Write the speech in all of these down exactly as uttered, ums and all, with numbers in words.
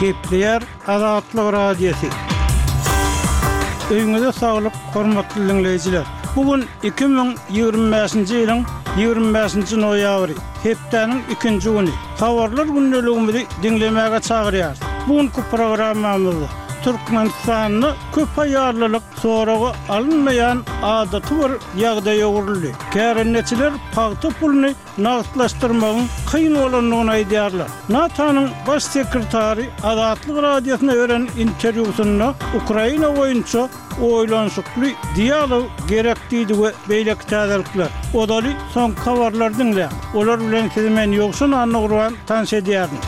Gepleýär Azatlyk Radiosy. Öýüňize saglyk, hormatly diňleýjiler! Bu gün iki müň ýigrimi bäşinji ýylyň ýigrimi bäşinji noýabry, hepdäniň ikinji güni. Habarlar gündeligimizi diňlemäge çagyrýarys. Bu günki programmamyzda Türkmenistanda köp aýallylyk soraga alynmaýan adaty bir ýagdaýa öwrüldi. Kärendeçiler pagta puluny nagtlaşdyrmagyň kyn bolandygyny aýdýarlar. NATO-nyň Baş sekretary Azatlyk Radiosyna beren interwýusynda Ukraina boýunça oýlanyşykly dialog gerek diýdi we beýleki täzelikler. Ozaly soňky habarlary diňläň. Olar bilen sizi men Ýowşan Annagurban tanyş edýärin.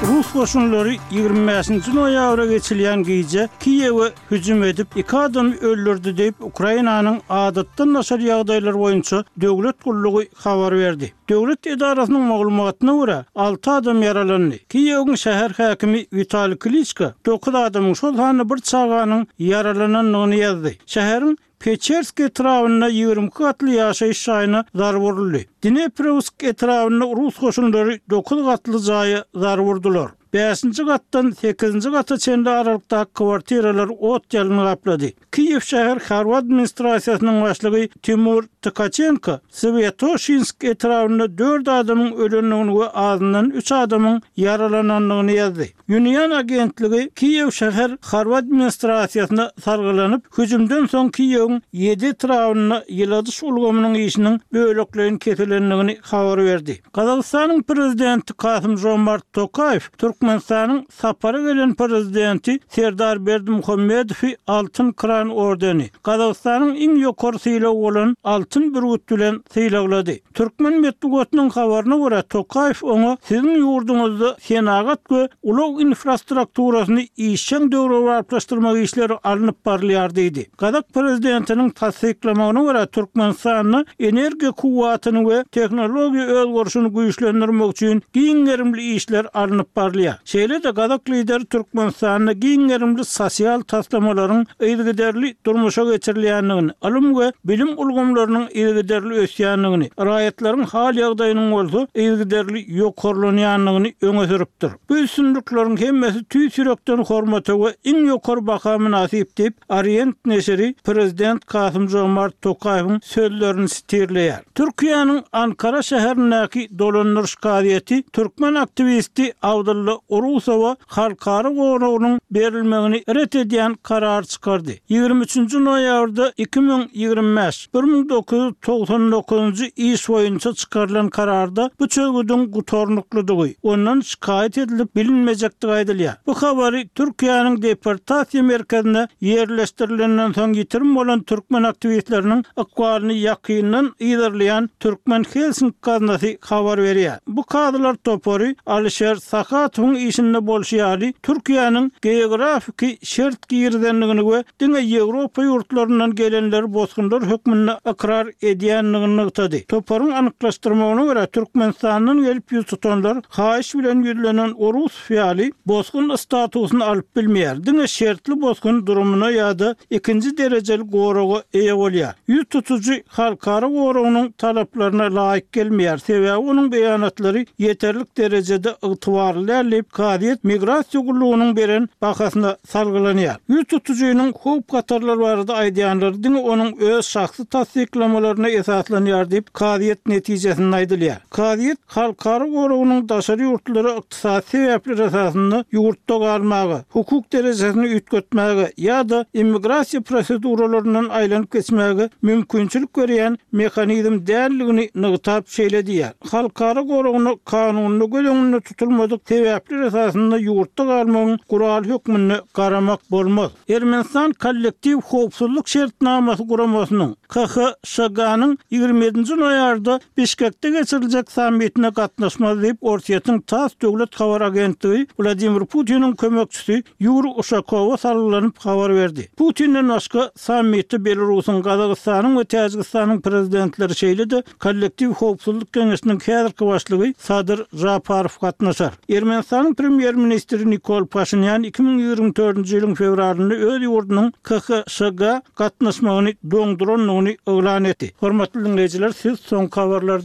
Rus goşunlary ýigrimi bäşinji noýabra geçilýän gije Kiýewe hüjüm edip, iki adamy öldürdi diýip, Ukrainanyň Adatdan daşary ýagdaýlar boýunça döwlet gullugy habar berdi. Döwlet edarasynyň maglumatyna görä, alty adam ýaralandy. Kiýewiň şäher häkimi Witaliý Kliçko dokuz adamyň, şol sanda bir çaganyň ýaralanandygyny ýazdy. Şäheriň Peçersk etrabynda ýigrimi iki gatly ýaşaýyş jaýyna zarba uruldy. Dneprowsk etrabynda rus goşunlary dokuz gatly jaýa zarba urdular. Bäşinji gatdan sekizinji gata çenli aralykdaky kwartiralar ot-ýalyn gaplady. Kiýew şäher harby administrasiýasynyň başlygy Timur Tkaçenko Swýatoşinsk etrabynda dört adamyň ölendigini we azyndan üç adamyň ýaralanandygyny ýazdy. Unian agentligi Kiýew şäher harby administrasiýasyna salgylanyp, hüjümden soň Kiýewiň ýedi etrabynda ýyladyş ulgamynyň işiniň bölekleýin kesilendigini habar berdi. Gazagystanyň Prezidenti Kasym-Žomart Tokaýew Türkmenistanyň sapara gelen Prezidenti Serdar Berdimuhamedowy Altyn Kran ordeni, Gazagystanyň iň ýokary sylagy bolan Altyn bürgüt bilen sylaglady. Türkmen metbugatynyň habaryna görä, Tokaýew oňa siziň ýurduňyzda senagat we ulag infrastrukturasyny işjeň döwrebaplaşdyrmak işleri alnyp barylýar diýdi. Gazak prezidentiniň tassyklamagyna görä, Türkmenistanda energiýa kuwwatyny we tehnologiýa özgerişini güýçlendirmek üçin giň gerimli işler alnyp barylýar. Şeýle-de gazak lideri Türkmenistanda giň gerimli sosial taslamalaryň yzygiderli durmuşa geçirilýändigini, ylym we bilim ulgamlarynyň yzygiderli ösýändigini, raýatlaryň hal-ýagdaýynyň bolsa yzygiderli ýokarlanýandygyny öňe sürüpdir. Bu üstünlikleriň hemmesi tüýs ýürekden hormata we iň ýokary baha mynasyp diýip, Orient neşiri prezident Kasym-Žomart Tokaýewiň sözlerini sitirleýär. Türkiýäniň Ankara şäherindäki dolandyryş kazyýeti türkmen aktiwisti Abdylla Urusowa halkara goragynyň berilmegini ret edýän karar çykardy. Ýigrimi üçünji noýabrda iki müň ýigrimi bäş, bir müň dokuz ýüz togsan dokuzynjy iş boýunça çykarylan kararda bu çözgüdiň gutarnyklydygy, ondan şikaýat edilip bilinmejekdigi aýdylýar. Bu habary Türkiýäniň deportasiýa merkezine ýerleşdirilenden soň ýitirim bolan türkmen aktiwistleriniň ykbalyny ýakyndan yzarlaýan Türkmen Helsinki gaznasy habar berýär. Bu kazylar topary Alişer Sahatowyň işinde bolşy ýaly, Türkiýäniň geografiki şert girizendigini we diňe Ýewropa ýurtlaryndan gelenleri bosgunlar hökmünde ykrar edýändigini nygtady. Toparyň anyklaşdyrmagyna görä, Türkmenistandan gelip ýüz tutanlar haýyş bilen ýüzlenen Orusow ýaly bosgun statusyny alyp bilmeýär, diňe şertli bosgun durumyna ýa-da ikinji derejeli goraga eýe bolýar. Ýüz tutujy halkara goragynyň talaplaryna laýyk gelmeýär, sebäbi onuň beýanatlary ýeterlik derejede ygtybarly däl diýip, kazyýet migrasiýa gullugynyň beren bahasyna salgylanýar. Ýüz tutujynyň howp-hatarlar barada aýdýanlary diňe onuň öz şahsy tassyklamalaryna esaslanýar diýip, kazyýet netijesinde aýdylýar. Kazyýet halkara goragynyň daşary ýurtlylara ykdysady sebäpler esasynda ýurtda galmaga, hukuk derejesini üýtgetmäge ýa-da immigrasiýa proseduralaryndan aýlanyp geçmäge mümkinçilik berýän mehanizm däldigini nygtap şeýle diýýär, Halkara goragyna kanunda göz öňünde tutulmadyk sebäpler esasynda ýurtda galmagyň guraly hökmünde garamak bolmaz. Ermenistan Kollektiw howpsuzlyk şertnamasy guramasynyň, KHŞG-nyň ýigrimi ýedinji noýabrda Bişkekde geçiriljek sammitine gatnaşmaz diýip, Orsýetiň tass döwlet habar agentligi Wladimir Putiniň kömekçisi Ýuriý Uşakowa salgylanyp habar berdi. Putinden başga sammitde Belarusyň, Gazagystanyň we Täjigistanyň prezidentleri, şeýle-de Kollektiw howpsuzlyk geňeşiniň häzirki başlygy Sadyr Žaparow gatnaşar. Ermenistanyň premýer-ministri Nikol Paşinýan iki müň ýigrimi dördünji ýylyň fewralynda öz ýurdunyň KHŞG gatnaşmagyny doňdurandygyny yglan etdi. Hormatly diňleýjiler, siz soňky habarlary